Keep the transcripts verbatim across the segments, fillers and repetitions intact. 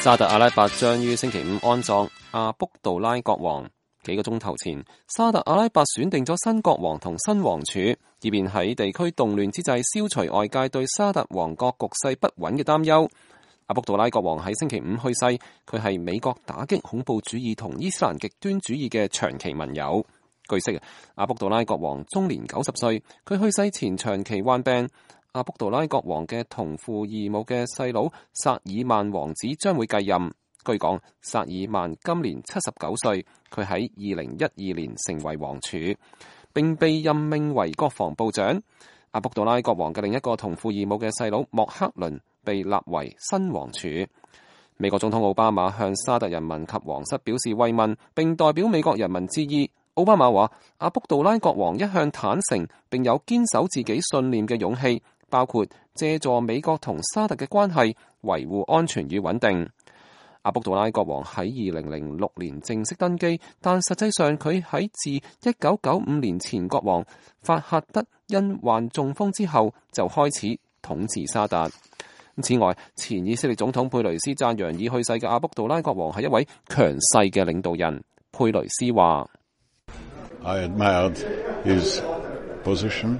沙特阿拉伯將於星期五安葬阿卜杜拉國王。幾個鐘頭前，沙特阿拉伯選定咗新國王同新王儲，以便喺地區動亂之際消除外界對沙特王國局勢不穩嘅擔憂。阿卜杜拉國王喺星期五去世，佢係美國打擊恐怖主義同伊斯蘭極端主義嘅長期盟友。據悉，阿卜杜拉國王終年九十歲，佢去世前長期患病。阿卜杜拉國王嘅同父異母嘅細佬薩爾曼王子將會繼任。據講，薩爾曼今年七十九歲，佢喺二零一二年成為王儲，並被任命為國防部長。阿卜杜拉國王嘅另一個同父異母嘅細佬莫克倫被立為新王儲。美國總統奧巴馬向沙特人民及皇室表示慰問，並代表美國人民致意。奧巴馬話：阿卜杜拉國王一向坦誠並有堅守自己信念嘅勇氣，包括借助美國同沙特嘅關係維護安全與穩定。阿卜杜拉國王喺二零零六年正式登基，但實際上佢喺自一九九五年前國王法赫德因患中風之後就開始統治沙特。此外，前以色列總統佩雷斯讚揚已去世嘅阿卜杜拉國王係一位強勢嘅領導人。佩雷斯話：I admired his position.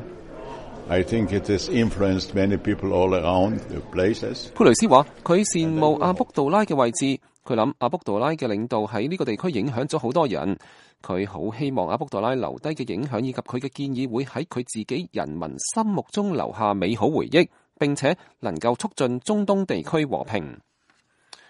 I think it has influenced many people all around the places. 佩雷斯話：佢羨慕阿卜杜拉嘅位置，佢諗阿卜杜拉嘅領導喺呢個地區影響咗好多人。佢好希望阿卜杜拉留低嘅影響以及佢嘅建議會喺佢自己人民心目中留下美好回憶，並且能夠促進中東地區和平。